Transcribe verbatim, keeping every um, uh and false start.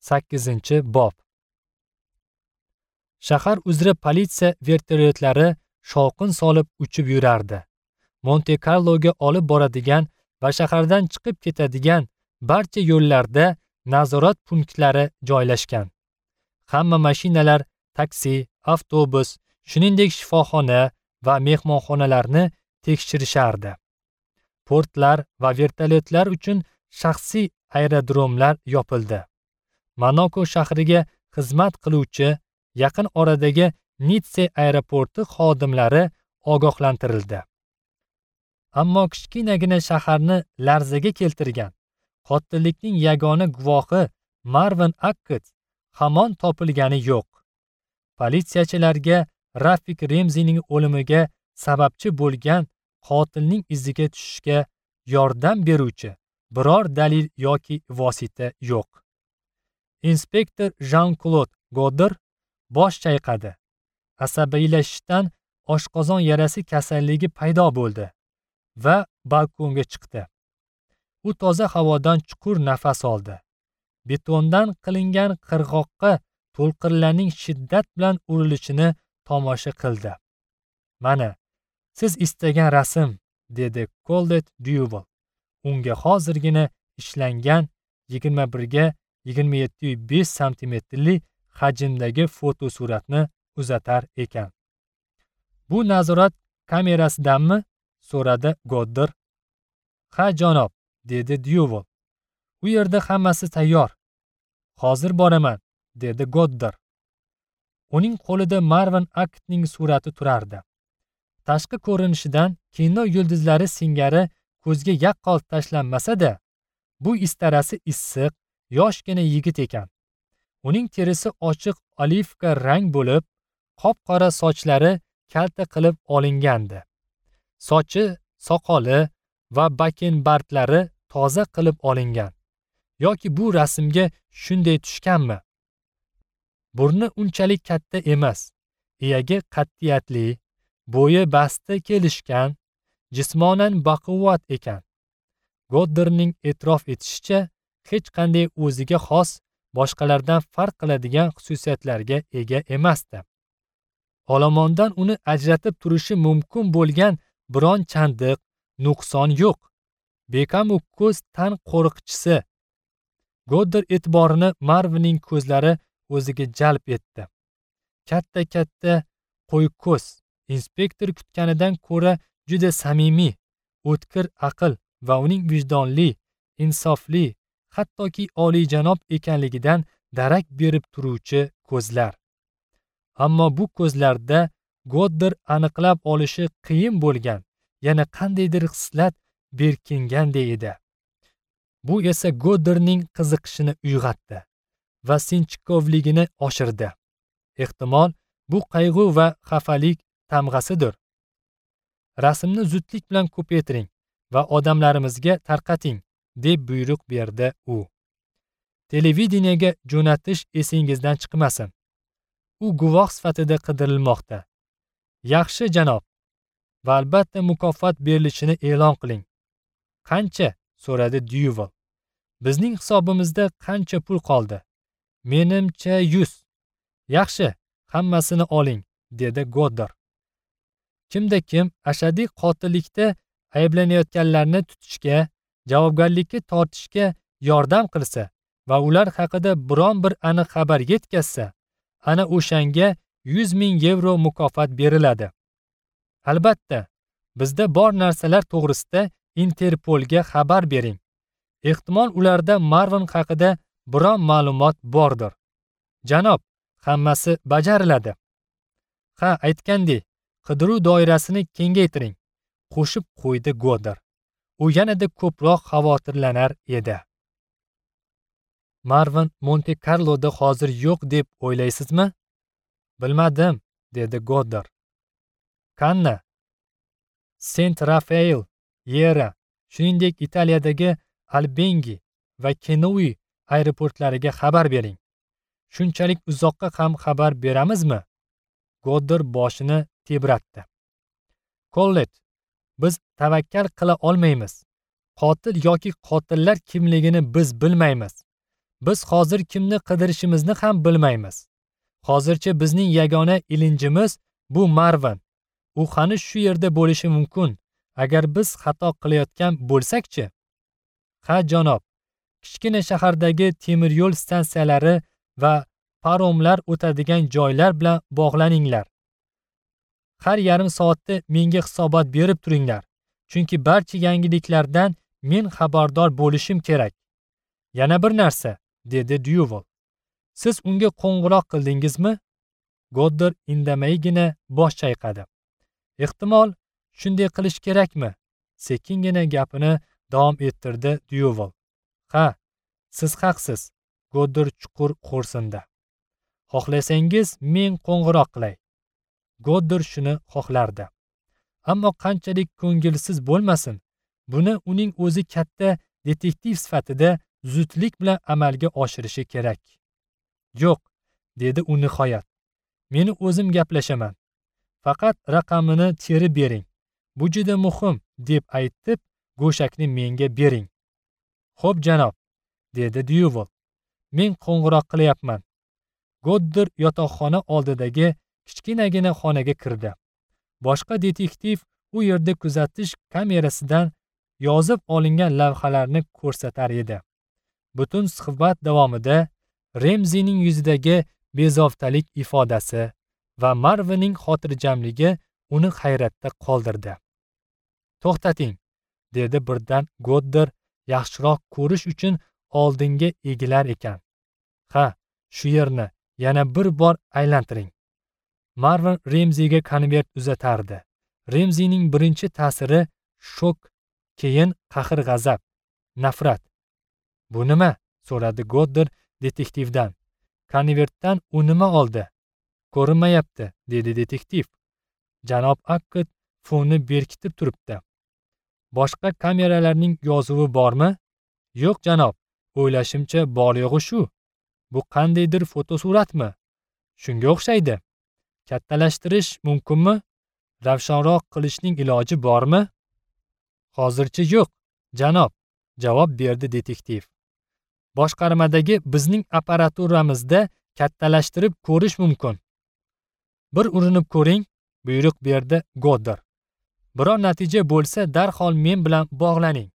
Sakkizinchi bob. Shahar uzra politsiya vertolyotlari shovqin solib uchib yurardi. Monte Karloga olib boradigan va shahardan chiqib ketadigan barcha yo'llarda nazorat punktlari joylashgan. Hamma mashinalar, taksi, avtobus, shuningdek shifoxona va mehmonxonalarni tekshirishardi. Portlar va vertolyotlar uchun shaxsiy aerodromlar yopildi. Monako shahriga xizmat qiluvchi yaqin oradagi Nitsa aeroporti xodimlari ogohlantirildi. Ammo kichkinagina shaharni larzaga keltirgan qotillikning yagona guvohi Marvin Akkett hamon topilgani yo'q. Politsiyachilarga Rafik Remzining o'limiga sababchi bo'lgan qotilning iziga tushishga yordam beruvchi biror dalil yoki vosita yo'q. Inspektor Jean-Claude Godder bosh chayqadi. Asabiylashishdan oshqozon yarasi kasalligi paydo bo'ldi va balkonga chiqdi. U toza havodan chuqur nafas oldi. Betondan qilingan qirg'oqqa to'lqinlarning shiddat bilan urilishini tomosha qildi. Mana, siz istagan rasm, dedi Colette Duval. Unga hozirgina ishlangan yigirma birga yigirma yetti besh santimetrli hajmdagi fotosuratni uzatar ekan. Bu nazorat kamerasidanmi? So'radi Godder. Ha, janob, dedi Duval. U yerda hammasi tayyor. Hozir boraman, dedi Godder. Uning qo'lida Marvin Akkettning surati turardi. Tashqi ko'rinishidan kino yulduzlari singari ko'zga yaqqol tashlanmasa-da, bu istarasi issiq, yoshgina yigit ekan. Uning terisi ochiq olivka rang bo'lib, qop-qora sochlari kalta qilib olingandi. Sochi, soqoli va bakenbardlari toza qilib olingan. Yoki bu rasmga shunday tushganmi? Burni unchalik katta emas, iyagi qat'iyatli, bo'yi basti kelishgan, jismonan baquvvat ekan. Godderning e'tirof etishicha, hech qanday o'ziga xos, boshqalardan farq qiladigan xususiyatlarga ega emasdi. Olomondan uni ajratib turishi mumkin bo'lgan biron chandiq, nuqson yo'q. Bekamu ko'z tan qo'riqchisi. Godder e'tiborini Marvinning ko'zlari o'ziga jalb etdi. Katta-katta qo'y ko'z, inspektor kutganidan ko'ra juda samimiy, o'tkir aql va uning vijdonli, insofli, hattoki oliyjanob ekanligidan darak berib turuvchi ko'zlar. Ammo bu ko'zlarda Godder aniqlab olishi qiyin bo'lgan yana qandaydir xislat berkinganday edi. Bu esa Godderning qiziqishini uyg'otdi va sinchkovligini oshirdi. Ehtimol, bu qayg'u va xafalik tamg'asidir. Rasmni zudlik bilan ko'paytiring va odamlarimizga tarqating, deb buyruq berdi u. Televideniyaga jo'natish esingizdan chiqmasin. U guvoh sifatida qidirilmoqda. Yaxshi, janob. Va albatta mukofot berilishini e'lon qiling. Qancha? So'radi Duval. Bizning hisobimizda qancha pul qoldi? Menimcha yuz. Yaxshi, hammasini oling, dedi Godder. Kimda kim ashaddiy qotillikda ayblanayotganlarni tutishga, javobgarlikka tortishga yordam qilsa va ular haqida biron bir aniq xabar yetkazsa, ana o'shanga yuz ming yevro mukofot beriladi. Albatta, bizda bor narsalar to'g'risida Interpolga xabar bering. Ehtimol ularda Marvin haqida biron ma'lumot bordir. Janob, hammasi bajariladi. Ha, aytgandek, qidiruv doirasini kengaytiring, qo'shib qo'ydi Godder. U yanada ko'proq xavotirlanar edi. Marvin Monte Karloda hozir yo'q deb o'ylaysizmi? Bilmadim, dedi Godder. Kanna, Sent Rafael, Yera, shuningdek Italiyadagi Albengi va Kenui aeroportlariga xabar bering. Shunchalik uzoqqa ham xabar beramizmi? Godder boshini tebratdi. Colette, biz tavakkal qila olmaymiz. Qotil yoki qotillar kimligini biz bilmaymiz. Biz hozir kimni qidirishimizni ham bilmaymiz. Hozircha bizning yagona ilinjimiz bu Marvin. U hali shu yerda bo'lishi mumkin. Agar biz xato qilayotgan bo'lsak-chi? Ha, janob. Kichkina shahardagi temir yo'l stansiyalari va paromlar o'tadigan joylar bilan bog'laninglar. Har yarim soatda menga hisobot berib turinglar. Chunki barcha yangiliklardan men xabardor bo'lishim kerak. Yana bir narsa, dedi Dyuval. Siz unga qo'ng'iroq qildingizmi? Goddard indamaygina bosh chayqadi. Ehtimol shunday qilish kerakmi? Sekingina gapini davom ettirdi Dyuval. Ha, siz haqsiz. Goddard chuqur xo'rsindi. Xohlasangiz men qo'ng'iroq qilay. Goddard shuni xohlardi. Ammo qanchalik ko'ngilsiz bo'lmasin, buni uning o'zi katta detektiv sifatida zudlik bilan amalga oshirishi kerak. Yo'q, dedi u nihoyat. Meni o'zim gaplashaman. Faqat raqamini terib bering. Bu juda muhim, deb aytib, go'shakni menga bering. Xo'p, janob, dedi Dyuval. Men qo'ng'iroq qilyapman. Goddard yotoqxona oldidagi kichkinagina xonaga kirdi. Boshqa detektiv u yerda kuzatish kamerasidan yozib olingan lavhalarni ko'rsatar edi. Butun suhbat davomida Remzining yuzidagi bezovtalik ifodasi va Marvinning xotirjamligi uni hayratda qoldirdi. To'xtating, dedi birdan Goddard yaxshiroq ko'rish uchun oldinga egilar ekan. Ha, shu yerni yana bir bor aylantiring. Marvin Remziga konvert uzatardi. Remzining birinchi ta'siri shok, keyin qahr-g'azab, nafrat. Bu nima? So'radi Goddard detektivdan. Konvertdan u nima oldi? Ko'rinmayapti, dedi detektiv. Janob Akkad fonni berkitib turibdi. Boshqa kameralarning yozuvi bormi? Yo'q, janob. O'ylashimcha bor yo'g'i shu. Bu qandaydir fotosuratmi? Shunga o'xshaydi. Kattalashtirish mumkinmi? Ravshanroq qilishning iloji bormi? Hozircha yo'q, janob, javob berdi detektiv. Boshqarmadagi bizning apparaturamizda kattalashtirib ko'rish mumkin. Bir urinib ko'ring, buyruq berdi Goddard. Biror natija bo'lsa darhol men bilan bog'laning.